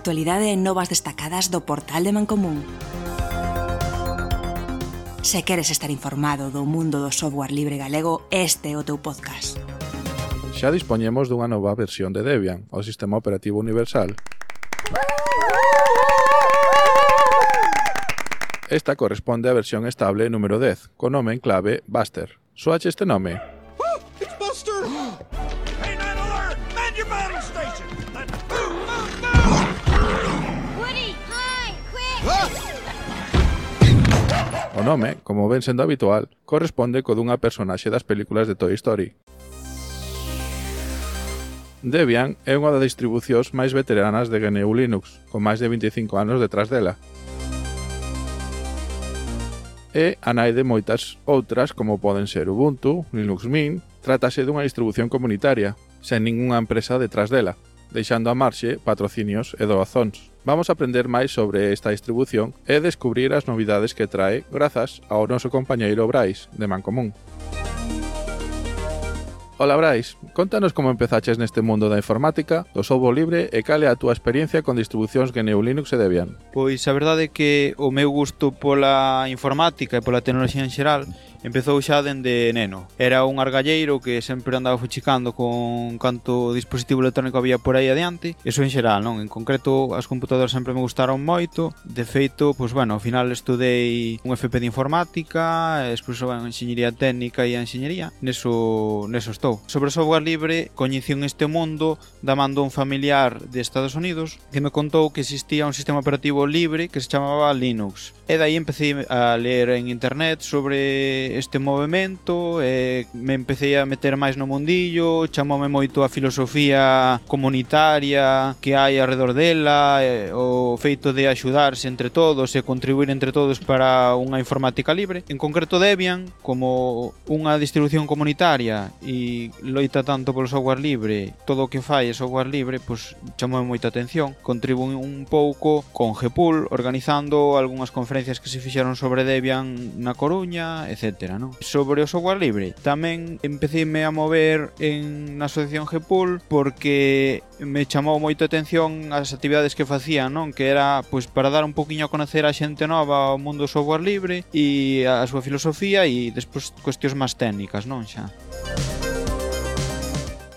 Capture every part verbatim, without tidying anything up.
actualidade e novas destacadas do portal de Mancomún. Se queres estar informado do mundo do software libre galego, este é o teu podcast. Xa dispoñemos dunha nova versión de Debian, o sistema operativo universal. Esta corresponde á versión estable número dez, co nome en clave Buster. Soache este nome? Oh, it's Buster! Hey, nine alert! Man your battle station! Move, move, move! Woody, hi, quick! O nome, como ven sendo habitual, corresponde co dunha personaxe das películas de Toy Story. Debian é unha das distribucións máis veteranas de G N U Linux, con máis de veinticinco anos detrás dela. E a nai de moitas outras como poden ser Ubuntu, Linux Mint. Trátase dunha distribución comunitaria, sen ningunha empresa detrás dela, deixando a marxe patrocinios e doazóns. Vamos a aprender máis sobre esta distribución e descubrir as novidades que trae grazas ao noso compañeiro Brais, de Mancomún. Ola Brais, contanos como empezaches neste mundo da informática, do software libre e cal é a túa experiencia con distribucións G N U Linux e Debian. Pois a verdade é que o meu gusto pola informática e pola tecnoloxía en xeral empezou xa dende neno. Era un argalleiro que sempre andaba fuchicando con canto dispositivo electrónico había por aí adiante. Eso en xeral, non? En concreto, as computadoras sempre me gustaron moito. De feito, pois bueno, ao final estudei un F P de informática, despois a enxeñería técnica e a enxeñería. Neso, neso estou. Sobre o software libre, coñecí este mundo da man dun familiar de Estados Unidos que me contou que existía un sistema operativo libre que se chamaba Linux. E daí empecé a ler en internet sobre este movimento e me empecé a meter máis no mundillo, chamoume moito a filosofía comunitaria que hai alrededor dela, o feito de axudarse entre todos e contribuir entre todos para unha informática libre. En concreto Debian, como unha distribución comunitaria e loita tanto polo software libre, todo o que fai é software libre, pois chamoume moita atención. Contribuí un pouco con G P U L, organizando algunhas conferencias que se fixeron sobre Debian na Coruña, etcétera. No? Sobre o software libre tamén empecéme a mover en na asociación G P U L porque me chamou moito a atención as actividades que facían, non? Que era pois para dar un poquinho a conocer a xente nova ao mundo do software libre e a súa filosofía e despois cuestións máis técnicas, non xa.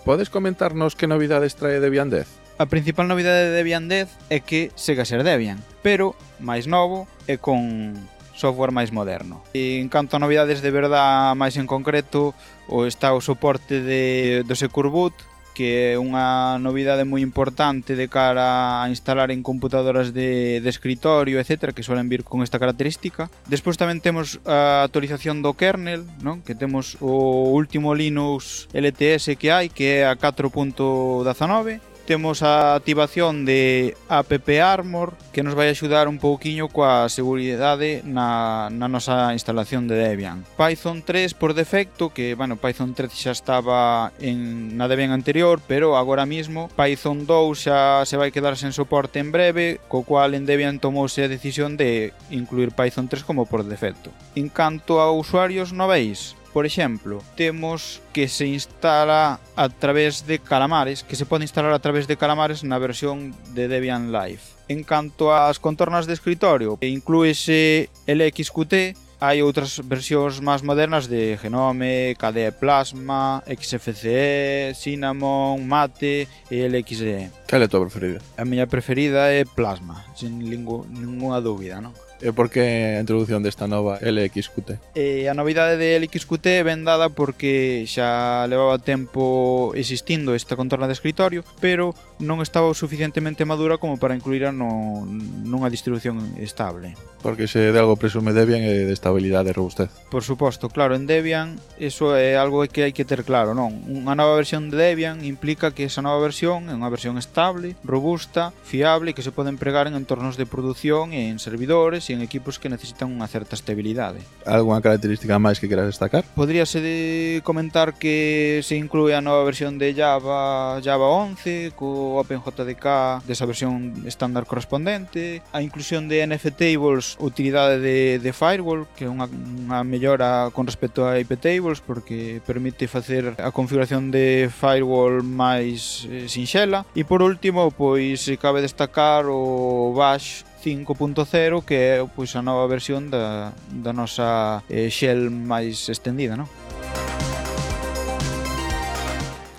Podes comentarnos que novidades trae Debian dez? A principal novidade de Debian dez é que segue a ser Debian, pero máis novo e con software máis moderno. E en canto a novidades de verdad máis en concreto, o está o soporte de, do Secure Boot, que é unha novidade moi importante de cara a instalar en computadoras de, de escritorio, etcétera, que suelen vir con esta característica. Despois tamén temos a actualización do kernel, non? Que temos o último Linux L T S que hai, que é a catro punto diecinueve. Temos a activación de AppArmor que nos vai axudar un pouquiño coa seguridade na, na nosa instalación de Debian. Python tres por defecto, que, bueno, Python tres xa estaba en, na Debian anterior, pero agora mismo Python dous xa se vai quedar sen soporte en breve, co cual en Debian tomouse a decisión de incluir Python tres como por defecto. En canto a usuarios novéis, por exemplo, temos que se instala a través de Calamares, que se pode instalar a través de Calamares na versión de Debian Live. En canto ás contornas de escritorio, inclúese L X Q T, hai outras versións máis modernas de Genome, K D E Plasma, X F C E, Cinnamon, Mate e L X E. Cal é a tua preferida? A miña preferida é Plasma, sin ninguna dúbida, non? E por que a introdución desta nova L X Q T? E a novidade de L X Q T ven dada porque xa levaba tempo existindo esta contorna de escritorio, pero non estaba o suficientemente madura como para incluíra no, nunha distribución estable. Porque se de algo presume Debian é de estabilidade e robustez. Por suposto, claro, en Debian eso é algo que hai que ter claro, non? Unha nova versión de Debian implica que esa nova versión é unha versión estable, robusta, fiable e que se pode empregar en entornos de produción e en servidores e en equipos que necesitan unha certa estabilidade. Algunha característica máis que queras destacar? Podríase de comentar que se inclúe a nova versión de Java, Java once, co OpenJDK desa versión estándar correspondente, a inclusión de N F Tables, utilidade de, de Firewall, que é unha, unha mellora con respecto a I P Tables, porque permite facer a configuración de Firewall máis eh, sinxela. E por último, pois cabe destacar o Bash cinco punto cero, que é pois a nova versión da, da nosa eh, shell máis extendida, non?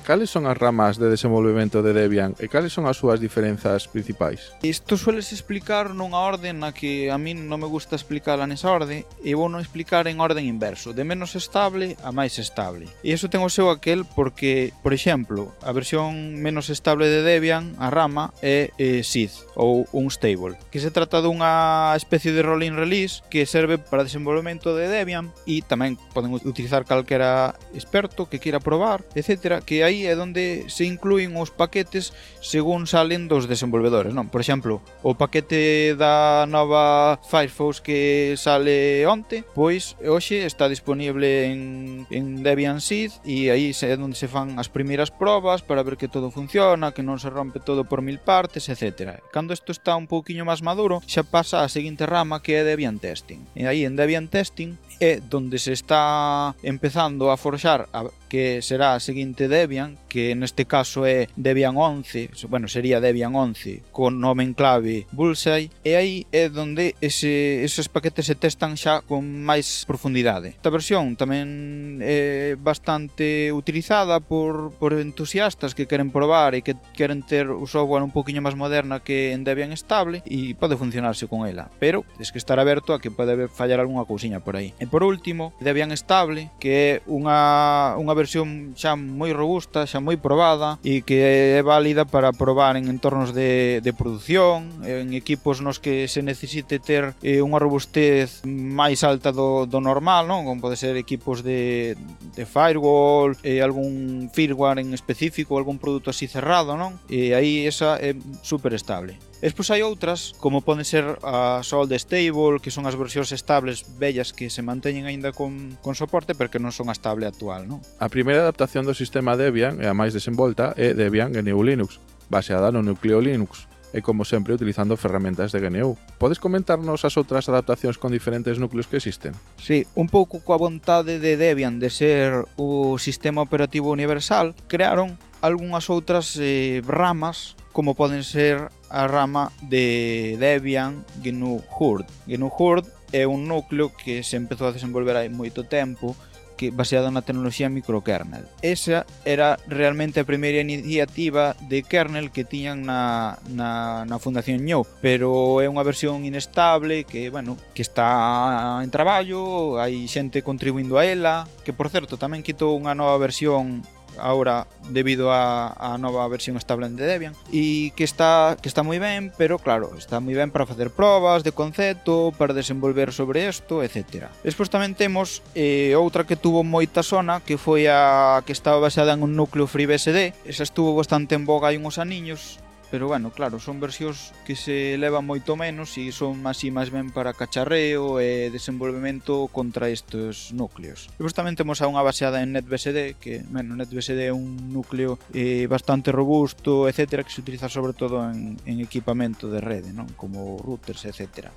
Cales son as ramas de desenvolvemento de Debian e cales son as súas diferenzas principais? Isto sueles explicar nunha orde na que a min non me gusta explicarla nesa orde, e vou non explicar en orden inverso, de menos estable a máis estable. E iso ten o seu aquel porque, por exemplo, a versión menos estable de Debian, a rama, é eh, S I D, ou Unstable, que se trata dunha especie de rolling release que serve para desenvolvemento de Debian, e tamén poden utilizar calquera experto que queira probar, etcétera, que aí é onde se inclúen os paquetes según salen dos desenvolvedores, non? Por exemplo, o paquete da nova Firefox que sale onte, pois hoxe está disponible en, en Debian S I D, e aí é onde se fan as primeiras probas para ver que todo funciona, que non se rompe todo por mil partes, etcétera. Cando isto está un pouquiño máis maduro, xa pasa a seguinte rama, que é Debian Testing. E aí en Debian Testing é onde se está empezando a forxar a que será a seguinte Debian, que neste caso é Debian once, bueno, sería Debian once con nome en clave Bullseye, e aí é onde ese, esos paquetes se testan xa con máis profundidade. Esta versión tamén é bastante utilizada por, por entusiastas que queren probar e que queren ter o software un poquinho máis moderna que en Debian estable, e pode funcionarse con ela, pero tens que estar aberto a que pode fallar algunha cousiña por aí. E por último, Debian estable, que é unha, unha versión xa moi robusta, xa moi probada, e que é válida para probar en entornos de, de produción, en equipos nos que se necesite ter eh, unha robustez máis alta do, do normal, non? Como pode ser equipos de, de firewall, eh, algún firmware en específico, algún produto así cerrado, non? E aí esa é super estable. Despois hai outras, como poden ser a Solid Stable, que son as versións estables vellas que se manteñen aínda con, con soporte, pero que non son a estable actual, non? A primeira adaptación do sistema Debian e a máis desenvolta é Debian G N U Linux, baseada no núcleo Linux, e como sempre utilizando ferramentas de G N U. Podes comentarnos as outras adaptacións con diferentes núcleos que existen? Sí, un pouco coa vontade de Debian de ser o sistema operativo universal, crearon algunhas outras eh, ramas, como poden ser a rama de Debian G N U Hurd. G N U Hurd é un núcleo que se empezou a desenvolver hai moito tempo, que baseado na tecnoloxía microkernel. Esa era realmente a primeira iniciativa de kernel que tiñan na, na, na Fundación New, pero é unha versión inestable que, bueno, que está en traballo, hai xente contribuindo a ela, que por certo tamén quitou unha nova versión ahora debido a, a nova versión estable de Debian, e que está que está moi ben, pero claro, está moi ben para facer probas de concepto, para desenvolver sobre isto, etcétera. Despois tamén temos eh, outra que tuvo moita sona, que foi a que estaba baseada en un núcleo FreeBSD. Esa estuvo bastante en boga hai uns aniños, pero bueno, claro, son versións que se levan moito menos e son así máis ben para cacharreo e desenvolvemento contra estes núcleos. Depois tamén temos a unha baseada en NetBSD, que, bueno, NetBSD é un núcleo eh, bastante robusto, etcétera, que se utiliza sobre todo en, en equipamento de rede, non? Como routers, etcétera.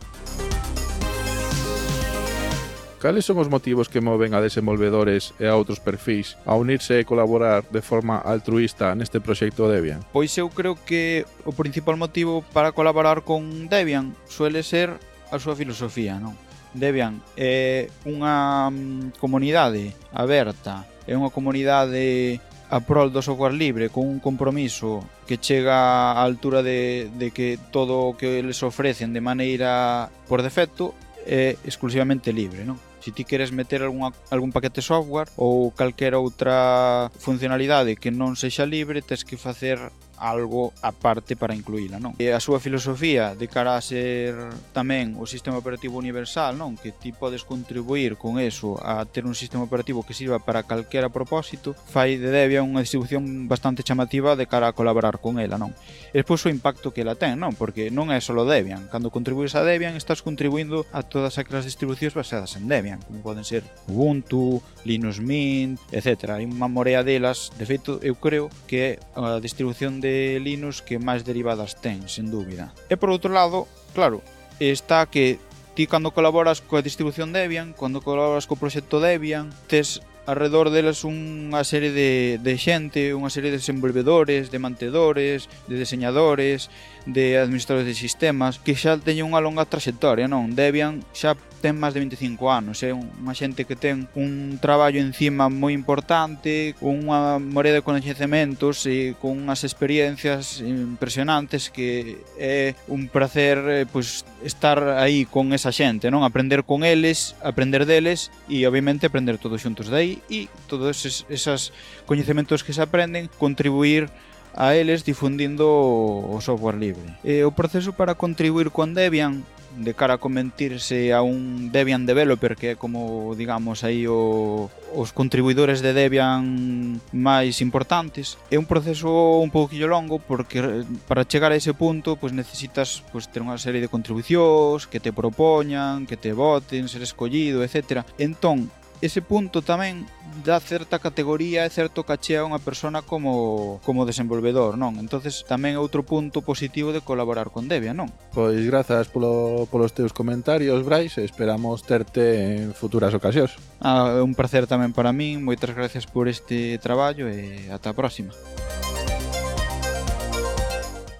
Cales son os motivos que moven a desenvolvedores e a outros perfís a unirse e colaborar de forma altruísta neste proxecto Debian? Pois eu creo que o principal motivo para colaborar con Debian suele ser a súa filosofía, non? Debian é unha comunidade aberta, é unha comunidade a prol do software libre, con un compromiso que chega á altura de, de que todo o que les ofrecen de maneira por defecto é exclusivamente libre, non? Se ti queres meter algún, algún paquete software ou calquera outra funcionalidade que non sexa libre, tens que facer algo aparte para incluíla, non? E a súa filosofía de cara a ser tamén o sistema operativo universal, non? Que ti podes contribuir con eso a ter un sistema operativo que sirva para calquera propósito, fai de Debian unha distribución bastante chamativa de cara a colaborar con ela, non? E despois o impacto que ela ten, non? Porque non é só Debian. Cando contribúes a Debian, estás contribuindo a todas aquelas distribucións baseadas en Debian, como poden ser Ubuntu, Linux Mint, etcétera. Hai unha morea delas. De feito, eu creo que é a distribución de Linux que máis derivadas ten, sen dúbida. E por outro lado, claro, está que ti cando colaboras coa distribución Debian, cando colaboras co proxecto Debian, tes alrededor deles unha serie de, de xente, unha serie de desenvolvedores, de mantedores, de diseñadores, de administradores de sistemas que xa teñen unha longa traxectoria, non? Debian xa ten máis de vinte e cinco anos, é unha xente que ten un traballo encima moi importante, con unha morea de coñecementos e con unhas experiencias impresionantes que é un placer eh, pues, estar aí con esa xente, non? Aprender con eles, aprender deles e obviamente aprender todos xuntos de aí e todos esos, esos coñecementos que se aprenden contribuir a eles difundindo o software libre. E o proceso para contribuir con Debian de cara a convertirse a un Debian developer, que é como, digamos, aí o, os contribuidores de Debian máis importantes, é un proceso un pouquillo longo porque para chegar a ese punto pues, necesitas pues, ter unha serie de contribucións que te propoñan, que te voten, ser escollido, etcétera. Entón, ese punto tamén dá certa categoría e certo caché a unha persona como, como desenvolvedor, non? Entonces tamén é outro punto positivo de colaborar con Debian, non? Pois grazas polo, polos teus comentarios, Brais, e esperamos terte en futuras ocasións. Ah, é un placer tamén para min, moitas gracias por este traballo e ata a próxima.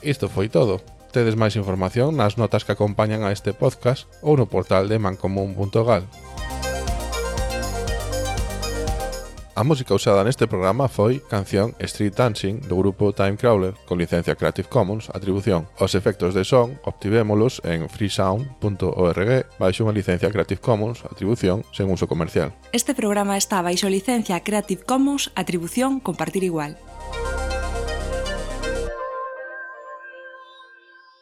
Isto foi todo. Tedes máis información nas notas que acompañan a este podcast ou no portal de mancomún punto gal. A música usada neste programa foi canción Street Dancing do grupo Timecrawler con licencia Creative Commons, atribución. Os efectos de son obtivémolos en freesound punto org baixo unha licencia Creative Commons, atribución sen uso comercial. Este programa está baixo licencia Creative Commons, atribución compartir igual.